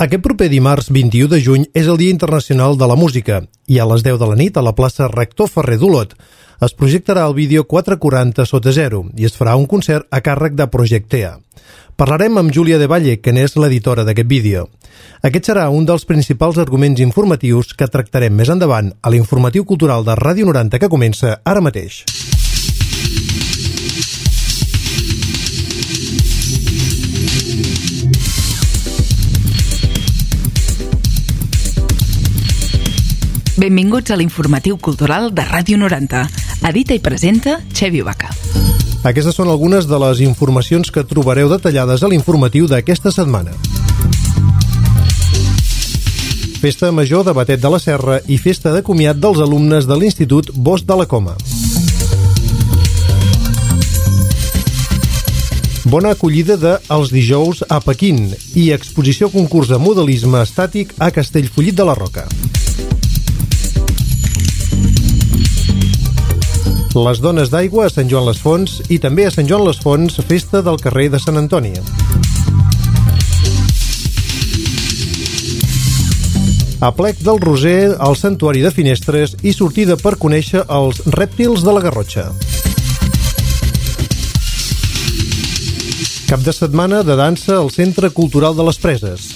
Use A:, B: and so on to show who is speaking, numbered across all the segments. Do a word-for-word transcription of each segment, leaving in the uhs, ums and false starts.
A: Aquest proper dimarts vint-i-u de juny és el Dia Internacional de la Música i a les deu de la nit a la plaça Rector Ferrer d'Olot es projectarà el vídeo quatre quaranta sota zero i es farà un concert a càrrec de Projectea. Parlarem amb Júlia de Valle, que n'és l'editora d'aquest vídeo. Aquest serà un dels principals arguments informatius que tractarem més endavant a l'informatiu cultural de Ràdio noranta que comença ara mateix.
B: Benvinguts a l'informatiu cultural de Ràdio noranta. Edita i presenta Xevi Vaca.
A: Aquestes són algunes de les informacions que trobareu detallades a l'informatiu d'aquesta setmana. Festa Major de Batet de la Serra i festa de comiat dels alumnes de l'Institut Bosch de la Coma. Bona acollida de Els dijous a Pequín i exposició concurs de modelisme estàtic a Castellfollit de la Roca. Les dones d'aigua a Sant Joan les Fonts i també a Sant Joan les Fonts, festa del carrer de Sant Antoni. A Plec del Roser, al Santuari de Finestres i sortida per conèixer els rèptils de la Garrotxa. Cap de setmana de dansa al Centre Cultural de les Preses.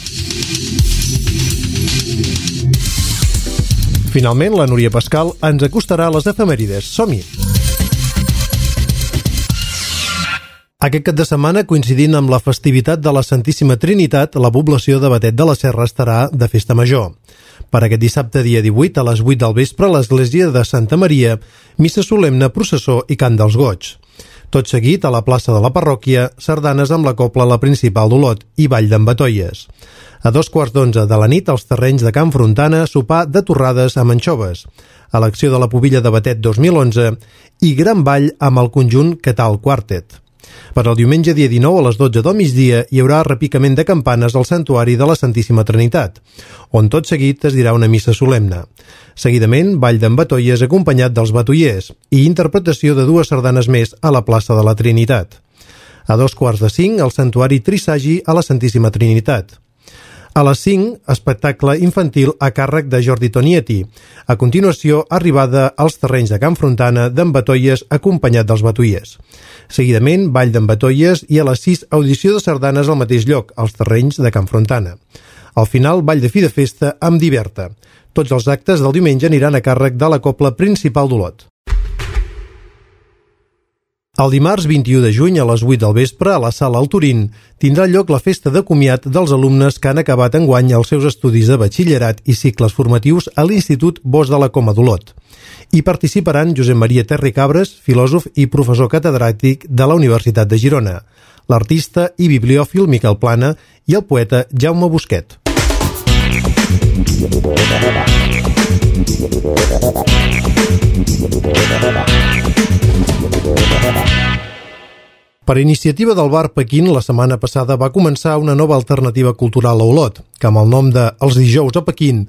A: Finalment, la Núria Pascal ens acostarà a les efemèrides. Som-hi! Aquest cap de setmana, coincidint amb la festivitat de la Santíssima Trinitat, la població de Batet de la Serra estarà de festa major. Per aquest dissabte, dia divuit, a les vuit del vespre, a l'església de Santa Maria, missa solemne, processó i cant dels goigs. Tot seguit, a la plaça de la parròquia, sardanes amb la cobla La Principal d'Olot i ball d'en Batoies. A dos quarts d'onze de la nit, als terrenys de Can Frontana, sopar de torrades amb anxoves, elecció de la pubilla de Batet dos mil onze i gran ball amb el conjunt Quetal Quartet. Per al diumenge dia dinou a les dotze del migdia hi haurà repicament de campanes al Santuari de la Santíssima Trinitat, on tot seguit es dirà una missa solemne. Seguidament, ball d'en Batoies acompanyat dels batoiers i interpretació de dues sardanes més a la plaça de la Trinitat. A dos quarts de cinc, al Santuari Trisagi a la Santíssima Trinitat. A les cinc, espectacle infantil a càrrec de Jordi Tonietti. A continuació, arribada als terrenys de Can Frontana d'en Batoies acompanyat dels batoiers. Seguidament, ball d'en Batoies i a les sis, audició de sardanes al mateix lloc, als terrenys de Can Frontana. Al final, ball de fi de festa amb Diverta. Tots els actes del diumenge aniran a càrrec de la cobla Principal d'Olot. El dimarts vint-i-u de juny a les vuit del vespre, a la sala El Turín, tindrà lloc la festa de comiat dels alumnes que han acabat enguany els seus estudis de batxillerat i cicles formatius a l'Institut Bosch de la Coma d'Olot. Hi participaran Josep Maria Terri Cabres, filòsof i professor catedràtic de la Universitat de Girona, l'artista i bibliòfil Miquel Plana i el poeta Jaume Busquet. Per iniciativa del bar Pequín, la setmana passada va començar una nova alternativa cultural a Olot, que amb el nom de Els dijous a Pequín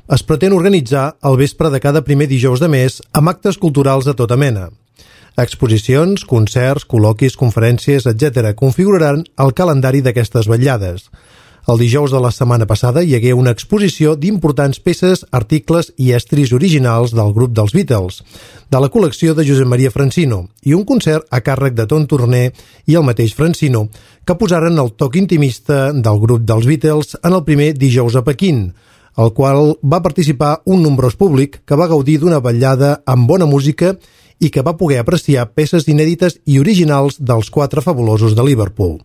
A: es pretén organitzar el vespre de cada primer dijous de mes amb actes culturals de tota mena. Exposicions, concerts, col·loquis, conferències, etcètera configuraran el calendari d'aquestes vetllades. El dijous de la setmana passada hi hagué una exposició d'importants peces, articles i estris originals del grup dels Beatles, de la col·lecció de Josep Maria Francino, i un concert a càrrec de Ton Torner i el mateix Francino, que posaren el toc intimista del grup dels Beatles en el primer dijous a Pequín, al qual va participar un nombrós públic que va gaudir d'una vetllada amb bona música i que va poder apreciar peces inèdites i originals dels quatre fabulosos de Liverpool.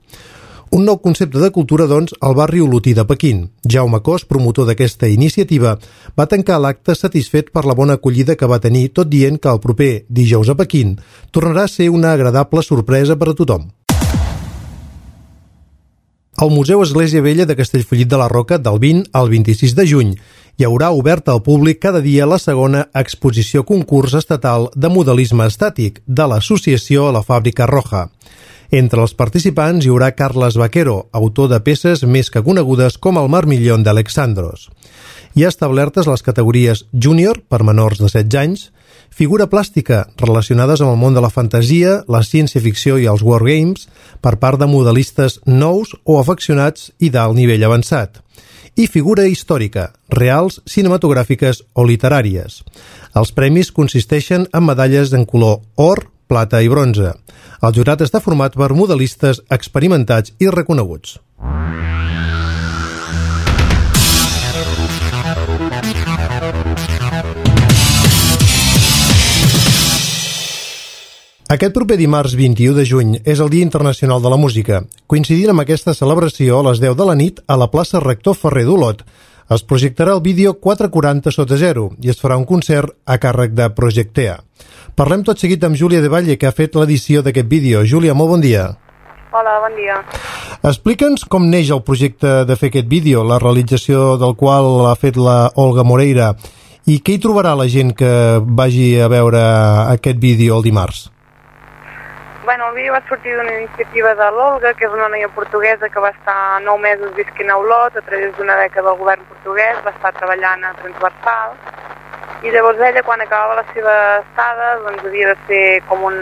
A: Un nou concepte de cultura, doncs, al barri olotí de Pequín. Jaume Cos, promotor d'aquesta iniciativa, va tancar l'acte satisfet per la bona acollida que va tenir, tot dient que el proper dijous a Pequín tornarà a ser una agradable sorpresa per a tothom. Al Museu Església Vella de Castellfollit de la Roca, del vint al vint-i-sis de juny, hi haurà oberta al públic cada dia la segona exposició concurs estatal de modelisme estàtic de l'associació La Fàbrica Roja. Entre els participants hi haurà Carles Vaquero, autor de peces més que conegudes com el Marmillón d'Alexandros. Hi ha establertes les categories júnior, per menors de setze anys, figura plàstica, relacionades amb el món de la fantasia, la ciència-ficció i els wargames, per part de modelistes nous o afeccionats i d'alt nivell avançat, i figura històrica, reals, cinematogràfiques o literàries. Els premis consisteixen en medalles en color or, plata i bronze. El jurat està format per modelistes experimentats i reconeguts. Aquest proper dimarts vint-i-u de juny és el Dia Internacional de la Música. Coincidint amb aquesta celebració, a les deu de la nit, a la plaça Rector Ferrer d'Olot, es projectarà el vídeo quatre quaranta sota zero i es farà un concert a càrrec de Projectea. Parlem tot seguit amb Júlia de Valle, que ha fet l'edició d'aquest vídeo. Júlia, molt bon dia.
C: Hola, bon dia.
A: Explica'ns com neix el projecte de fer aquest vídeo, la realització del qual ha fet la Olga Moreira, i què hi trobarà la gent que vagi a veure aquest vídeo el dimarts?
C: Bueno, el vídeo va sortir d'una iniciativa de l'Olga, que és una noia portuguesa que va estar nou mesos visquent a Olot a través d'una beca del govern portuguès, va estar treballant a Transversal, i llavors ella, quan acabava la seva estada, doncs havia de fer com un,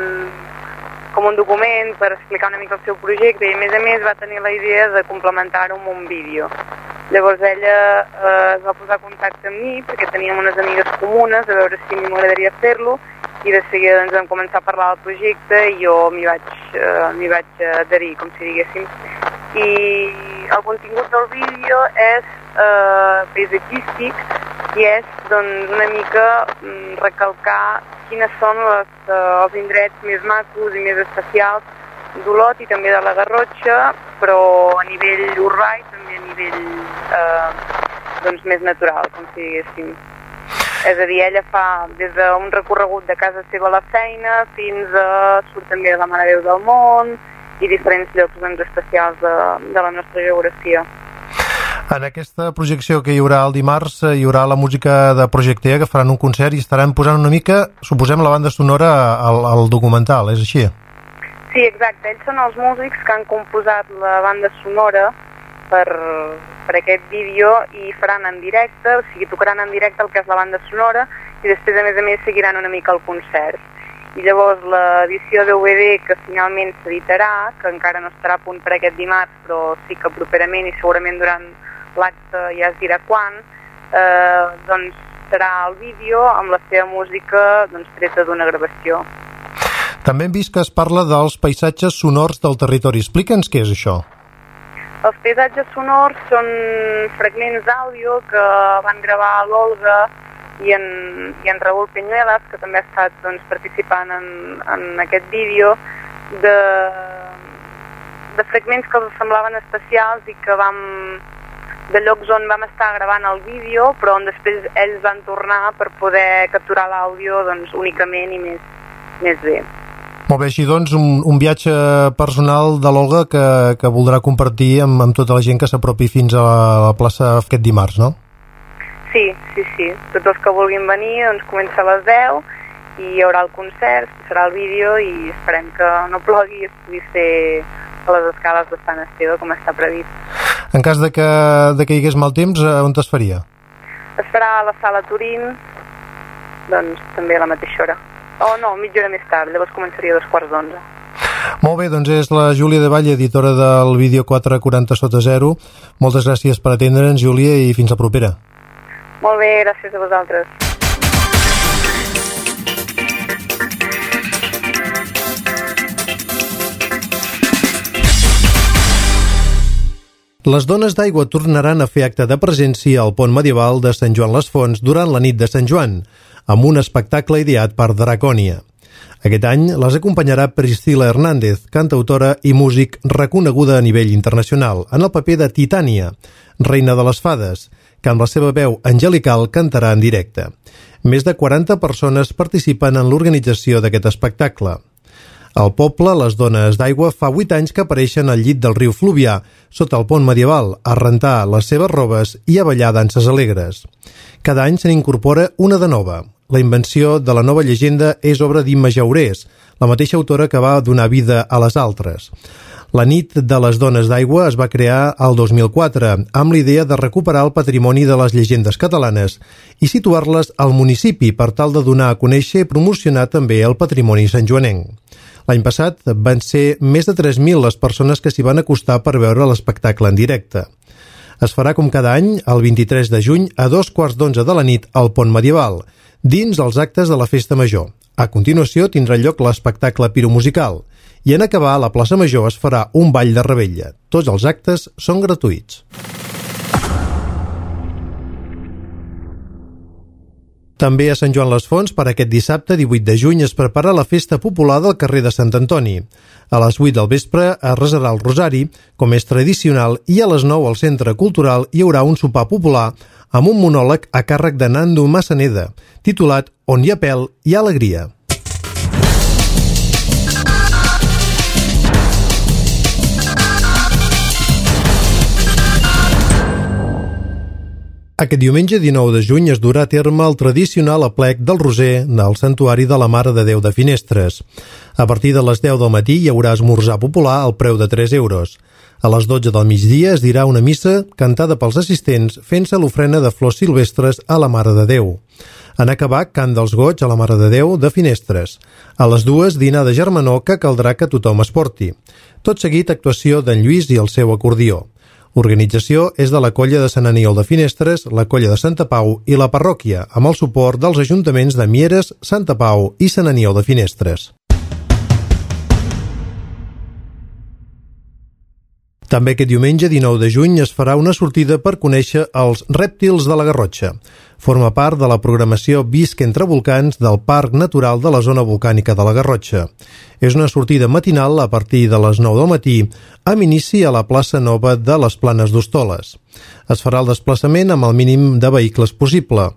C: com un document per explicar una mica el seu projecte, i a més a més va tenir la idea de complementar-ho amb un vídeo. Llavors ella eh, es va posar en contacte amb mi, perquè teníem unes amigues comunes, a veure si a mi m'agradaria fer-lo, i de seguida doncs, vam començar a parlar del projecte i jo m'hi vaig, uh, m'hi vaig adherir, com si diguéssim. I el contingut del vídeo és uh, paisatgístic i és doncs, una mica um, recalcar quines són les, uh, els indrets més macos i més especials d'Olot i també de la Garrotxa, però a nivell urbà i també a nivell uh, doncs, més natural, com si diguéssim. És a dir, ella fa des d'un recorregut de casa seva a la feina fins a surt també de la Mare de Déu del Món i diferents llocs doncs, especials de, de la nostra geografia.
A: En aquesta projecció que hi haurà el dimarts hi haurà la música de Projectea, que faran un concert i estaran posant una mica, suposem, la banda sonora al, al documental, és així?
C: Sí, exacte. Ells són els músics que han composat la banda sonora per, per aquest vídeo i faran en directe, o sigui, tocaran en directe el que és la banda sonora i després, a més a més, seguiran una mica el concert. I llavors l'edició de D V D que finalment s'editarà, que encara no estarà a punt per aquest dimarts, però sí que properament i segurament durant l'acte ja es dirà quan, eh, doncs serà el vídeo amb la seva música doncs, treta d'una gravació.
A: També hem vist que es parla dels paisatges sonors del territori. Explica'ns què és això.
C: Els paisatges sonors són fragments d'àudio que van gravar l'Olga i en, i en Raúl Peñuelas, que també ha estat doncs, participant en, en aquest vídeo, de, de fragments que els semblaven especials i que vam, de llocs on vam estar gravant el vídeo, però on després ells van tornar per poder capturar l'àudio doncs, únicament i més, més bé.
A: Molt bé, així doncs, un, un viatge personal de l'Olga que, que voldrà compartir amb, amb tota la gent que s'apropi fins a la, a la plaça aquest dimarts, no?
C: Sí, sí, sí. Tots els que vulguin venir, doncs comença a les deu i hi haurà el concert, serà el vídeo i esperem que no plogui i es pugui fer a les escales de Sant Esteve com està previst.
A: En cas de que, de que hi hagués mal temps, on es faria?
C: Es farà a la sala Turín, doncs també a la mateixa hora. Oh, no, mitja hora més tard, llavors començaria a dos quarts d'onze.
A: Molt bé, doncs és la Júlia de Valle, editora del vídeo quatre quaranta sota zero. Moltes gràcies per atendre'ns, Júlia, i fins la propera.
C: Molt bé, gràcies a vosaltres.
A: Les dones d'aigua tornaran a fer acte de presència al pont medieval de Sant Joan les Fonts durant la nit de Sant Joan, amb un espectacle ideat per Dracònia. Aquest any les acompanyarà Priscila Hernández, cantautora i músic reconeguda a nivell internacional, en el paper de Titània, reina de les fades, que amb la seva veu angelical cantarà en directe. Més de quaranta persones participen en l'organització d'aquest espectacle. Al poble, les dones d'aigua fa vuit anys que apareixen al llit del riu Fluvià, sota el pont medieval, a rentar les seves robes i a ballar danses alegres. Cada any se n'incorpora una de nova. La invenció de la nova llegenda és obra d'Imma Jaurés, la mateixa autora que va donar vida a les altres. La nit de les dones d'aigua es va crear el dos mil quatre, amb l'idea de recuperar el patrimoni de les llegendes catalanes i situar-les al municipi per tal de donar a conèixer i promocionar també el patrimoni santjoanenc. L'any passat van ser més de tres mil les persones que s'hi van acostar per veure l'espectacle en directe. Es farà com cada any, el vint-i-tres de juny, a dos quarts d'onze de la nit al Pont Medieval, dins els actes de la Festa Major. A continuació tindrà lloc l'espectacle piromusical i en acabar a la plaça Major es farà un ball de revetlla. Tots els actes són gratuïts. També a Sant Joan les Fonts, per aquest dissabte divuit de juny, es prepara la festa popular del carrer de Sant Antoni. A les vuit del vespre es resarà el rosari, com és tradicional, i a les nou al Centre Cultural hi haurà un sopar popular amb un monòleg a càrrec de Nando Massaneda, titulat On hi ha pèl, hi ha alegria. Aquest diumenge dinou de juny es durà a terme el tradicional aplec del Roser del Santuari de la Mare de Déu de Finestres. A partir de les deu del matí hi haurà esmorzar popular al preu de tres euros. A les dotze del migdia es dirà una missa cantada pels assistents fent-se l'ofrena de flors silvestres a la Mare de Déu. En acabar, cant dels goig a la Mare de Déu de Finestres. A les dues, dinar de germanor que caldrà que tothom es porti. Tot seguit, actuació d'en Lluís i el seu acordió. L'organització és de la Colla de Sant Aniol de Finestres, la Colla de Santa Pau i la parròquia, amb el suport dels ajuntaments de Mieres, Santa Pau i Sant Aniol de Finestres. També aquest diumenge, dinou de juny, es farà una sortida per conèixer els rèptils de la Garrotxa. Forma part de la programació Visc entre volcans del Parc Natural de la Zona Volcànica de la Garrotxa. És una sortida matinal a partir de les nou del matí, amb inici a la plaça Nova de les Planes d'Hostoles. Es farà el desplaçament amb el mínim de vehicles possible.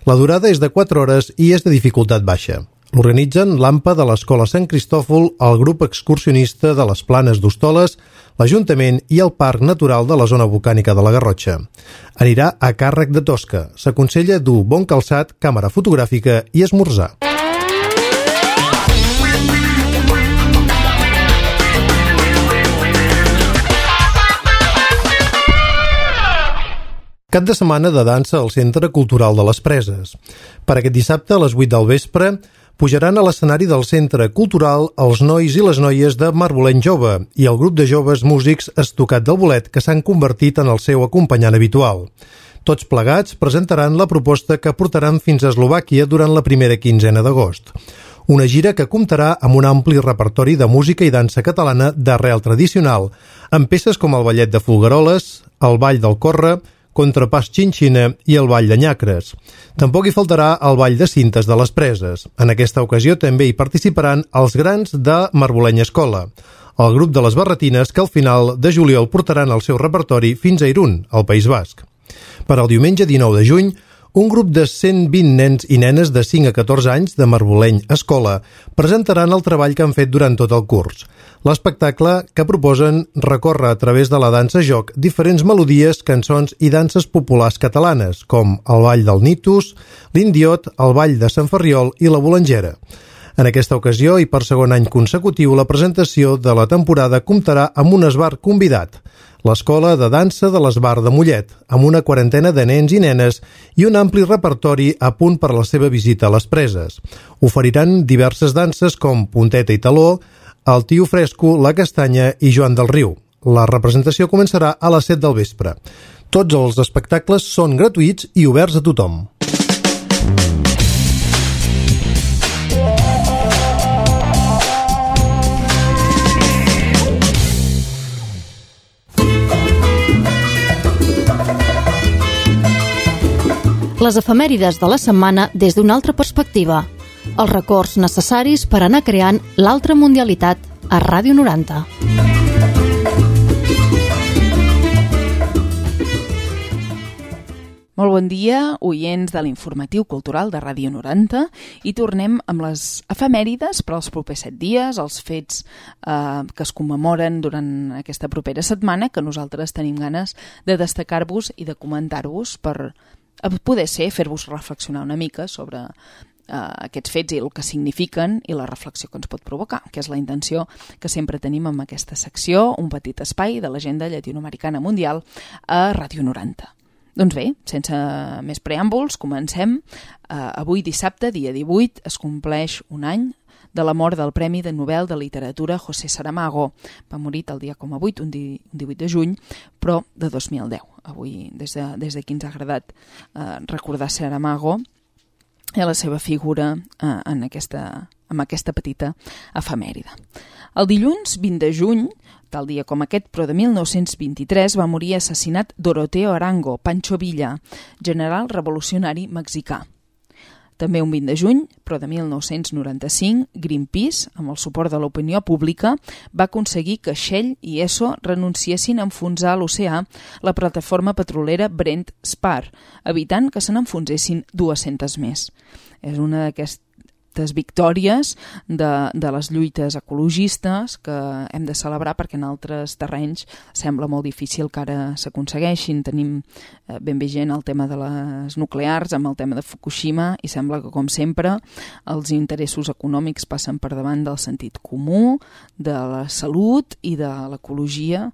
A: La durada és de quatre hores i és de dificultat baixa. L'organitzen l'AMPA de l'Escola Sant Cristòfol, el grup excursionista de les Planes d'Hostoles, l'Ajuntament i el Parc Natural de la Zona Volcànica de la Garrotxa. Anirà a càrrec de Tosca. S'aconsella dur bon calçat, càmera fotogràfica i esmorzar. Cap de setmana de dansa al Centre Cultural de les Preses. Per aquest dissabte, a les vuit del vespre, pujaran a l'escenari del Centre Cultural els nois i les noies de Marboleny Jove i el grup de joves músics Estocat del Bolet, que s'han convertit en el seu acompanyant habitual. Tots plegats presentaran la proposta que portaran fins a Eslovàquia durant la primera quinzena d'agost. Una gira que comptarà amb un ampli repertori de música i dansa catalana d'arrel tradicional, amb peces com el ballet de Folgueroles, el ball del Corre, contrapàs xinxina i el ball de nyacres. Tampoc hi faltarà el ball de cintes de les Preses. En aquesta ocasió també hi participaran els grans de Marboleny Escola, el grup de les Barretines que al final de juliol portaran el seu repertori fins a Irún, al País Basc. Per al diumenge dinou de juny, un grup de cent vint nens i nenes de cinc a catorze anys de Marboleny Escola presentaran el treball que han fet durant tot el curs. L'espectacle que proposen recorre a través de la dansa-joc diferents melodies, cançons i danses populars catalanes, com el ball del Nitus, l'indiot, el ball de Sant Ferriol i la bolangera. En aquesta ocasió, i per segon any consecutiu, la presentació de la temporada comptarà amb un esbar convidat, l'Escola de Dansa de l'Esbar de Mollet, amb una quarantena de nens i nenes i un ampli repertori a punt per la seva visita a les Preses. Oferiran diverses danses com punteta i taló, el tio fresco, la castanya i Joan del Riu. La representació començarà a les set del vespre. Tots els espectacles són gratuïts i oberts a tothom.
D: Les efemèrides de la setmana des d'una altra perspectiva. Els records necessaris per anar creant l'altra mundialitat a Ràdio noranta.
B: Molt bon dia, oients de l'informatiu cultural de Ràdio noranta, i tornem amb les efemèrides per als propers set dies, els fets eh, que es commemoren durant aquesta propera setmana, que nosaltres tenim ganes de destacar-vos i de comentar-vos per poder ser, fer-vos reflexionar una mica sobre uh, aquests fets i el que signifiquen i la reflexió que ens pot provocar, que és la intenció que sempre tenim amb aquesta secció, un petit espai de l'agenda llatinoamericana mundial a Ràdio noranta. Doncs bé, sense més preàmbuls, comencem. Uh, avui dissabte, dia divuit, es compleix un any de la mort del Premi de Nobel de Literatura José Saramago. Va morir el dia com a vuit, un divuit de juny, però de dos mil deu. avui des de, des d'aquí ens ha agradat eh, recordar Saramago i la seva figura eh, en, aquesta, en aquesta petita efemèride. El dilluns vint de juny, tal dia com aquest, però de mil nou-cents vint-i-tres, va morir assassinat Doroteo Arango, Pancho Villa, general revolucionari mexicà. També un vint de juny, però de mil nou-cents noranta-cinc, Greenpeace, amb el suport de l'opinió pública, va aconseguir que Shell i Esso renunciessin a enfonsar a l'oceà la plataforma petrolera Brent Spar, evitant que se n'enfonsessin dues-centes més. És una d'aquestes victòries de, de les lluites ecologistes que hem de celebrar perquè en altres terrenys sembla molt difícil que ara s'aconsegueixin. Tenim eh, ben vigent el tema de les nuclears amb el tema de Fukushima i sembla que, com sempre, els interessos econòmics passen per davant del sentit comú, de la salut i de l'ecologia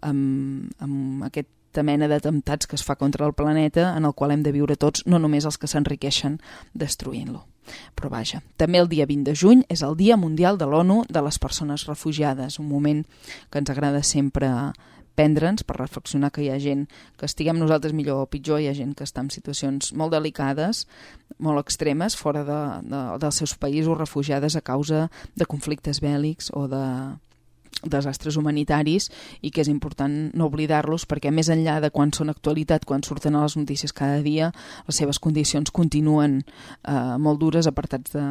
B: amb, amb aquesta mena d'atemptats que es fa contra el planeta en el qual hem de viure tots, no només els que s'enriqueixen destruint-lo. Però vaja, també el dia vint de juny és el Dia Mundial de l'ONU de les Persones Refugiades, un moment que ens agrada sempre prendre'ns per reflexionar que hi ha gent que estiguem nosaltres millor o pitjor, hi ha gent que està en situacions molt delicades, molt extremes, fora de, de, dels seus països, refugiades a causa de conflictes bèl·lics o de desastres humanitaris i que és important no oblidar-los perquè més enllà de quan són actualitat, quan surten a les notícies cada dia, les seves condicions continuen eh, molt dures, apartats de,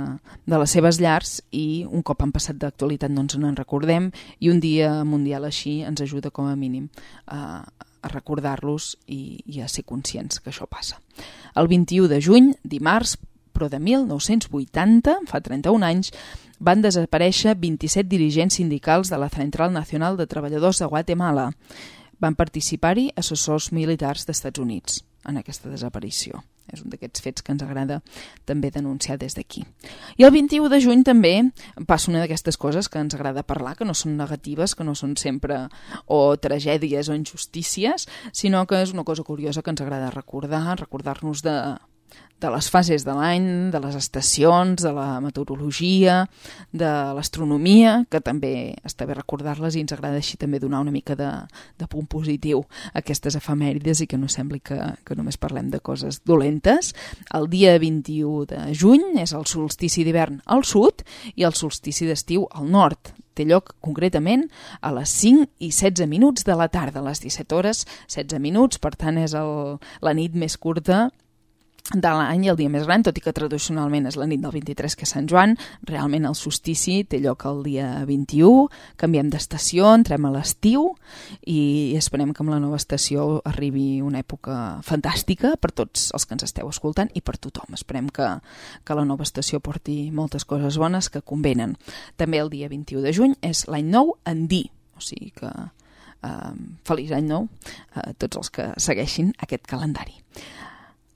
B: de les seves llars i un cop han passat d'actualitat no ens en recordem i un dia mundial així ens ajuda com a mínim a, a recordar-los i, i a ser conscients que això passa. El vint-i-u de juny, dimarts, però de mil nou-cents vuitanta, fa trenta-un anys, van desaparèixer vint-i-set dirigents sindicals de la Central Nacional de Treballadors de Guatemala. Van participar-hi assessors militars d'Estats Units en aquesta desaparició. És un d'aquests fets que ens agrada també denunciar des d'aquí. I el vint-i-u de juny també passa una d'aquestes coses que ens agrada parlar, que no són negatives, que no són sempre o tragèdies o injustícies, sinó que és una cosa curiosa que ens agrada recordar, recordar-nos de... de les fases de l'any, de les estacions, de la meteorologia, de l'astronomia, que també està bé recordar-les i ens agrada així també donar una mica de, de punt positiu a aquestes efemèrides i que no sembli que, que només parlem de coses dolentes. El dia vint-i-u de juny és el solstici d'hivern al sud i el solstici d'estiu al nord. Té lloc concretament a les cinc i setze minuts de la tarda, a les disset hores, setze minuts, per tant és el, la nit més curta de l'any i el dia més gran, tot i que tradicionalment és la nit del vint-i-tres, que és Sant Joan. Realment el solstici té lloc el dia vint-i-u, canviem d'estació, entrem a l'estiu i esperem que amb la nova estació arribi una època fantàstica per tots els que ens esteu escoltant i per tothom. Esperem que, que la nova estació porti moltes coses bones que convenen. També el dia vint-i-u de juny és l'any nou andí, o sigui que eh, feliç any nou a tots els que segueixin aquest calendari.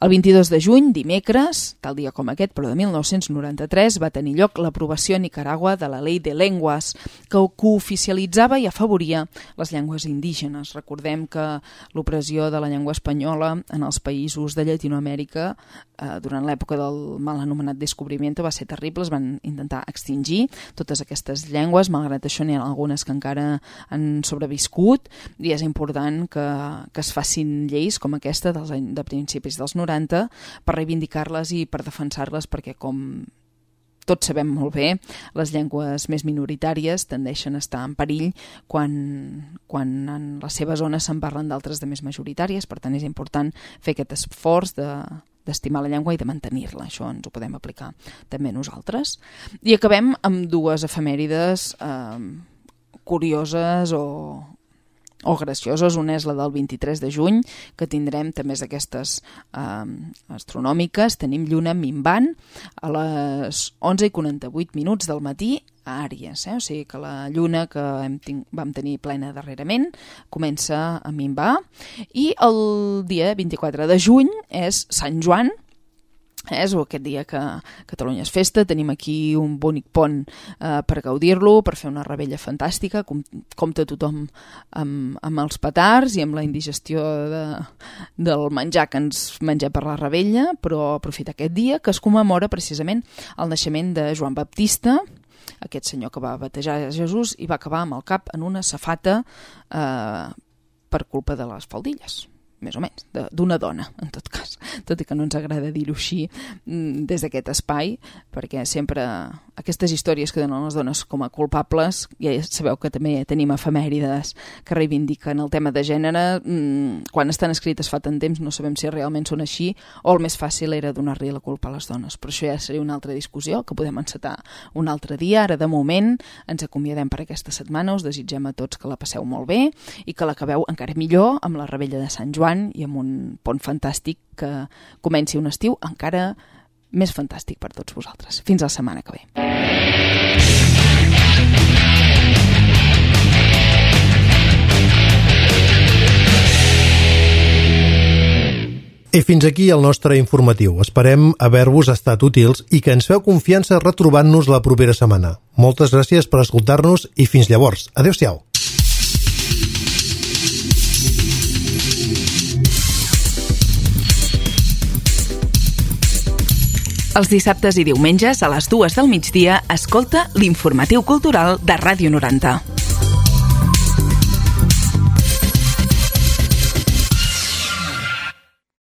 B: El vint-i-dos de juny, dimecres, tal dia com aquest, però de mil nou-cents noranta-tres, va tenir lloc l'aprovació a Nicaragua de la Ley de Lenguas, que cooficialitzava i afavoria les llengües indígenes. Recordem que l'opressió de la llengua espanyola en els països de Llatinoamèrica eh, durant l'època del mal anomenat descobrimiento va ser terrible, es van intentar extingir totes aquestes llengües, malgrat això n'hi ha algunes que encara han sobreviscut i és important que, que es facin lleis com aquesta dels, de principis dels noranta per reivindicar-les i per defensar-les perquè, com tots sabem molt bé, les llengües més minoritàries tendeixen a estar en perill quan, quan en les seves zones se'n parlen d'altres de més majoritàries, per tant és important fer aquest esforç de, d'estimar la llengua i de mantenir-la. Això ens ho podem aplicar també nosaltres. I acabem amb dues efemèrides eh, curioses o o gracioses. Una és la del vint-i-tres de juny, que tindrem també d'aquestes eh, astronòmiques. Tenim lluna minvant a les onze i quaranta-vuit minuts del matí a Àries, eh? O sigui que la lluna que hem ting- vam tenir plena darrerament comença a minvar. I el dia vint-i-quatre de juny és Sant Joan, és aquest dia que Catalunya és festa. Tenim aquí un bonic pont eh, per gaudir-lo, per fer una rebella fantàstica, com, compta tothom amb, amb els petards i amb la indigestió de, del menjar que ens mengem per la rebella, però aprofita aquest dia que es commemora precisament el naixement de Joan Baptista, aquest senyor que va batejar Jesús i va acabar amb el cap en una safata eh, per culpa de les faldilles. més o menys, d'una dona, en tot cas, tot i que no ens agrada dir-ho així des d'aquest espai, perquè sempre aquestes històries que donen les dones com a culpables, ja sabeu que també tenim efemèrides que reivindiquen el tema de gènere, quan estan escrites fa tant temps no sabem si realment són així o el més fàcil era donar-li la culpa a les dones, però això ja seria una altra discussió que podem encetar un altre dia. Ara de moment ens acomiadem per aquesta setmana, us desitgem a tots que la passeu molt bé i que l'acabeu encara millor amb la Revetlla de Sant Joan i amb un pont fantàstic que comenci un estiu encara més fantàstic per tots vosaltres. Fins la setmana que ve.
A: I fins aquí el nostre informatiu. Esperem haver-vos estat útils i que ens feu confiança retrobant-nos la propera setmana. Moltes gràcies per escoltar-nos i fins llavors. Adéu-siau.
B: Els dissabtes i diumenges a les dues del migdia escolta l'Informatiu Cultural de Ràdio noranta.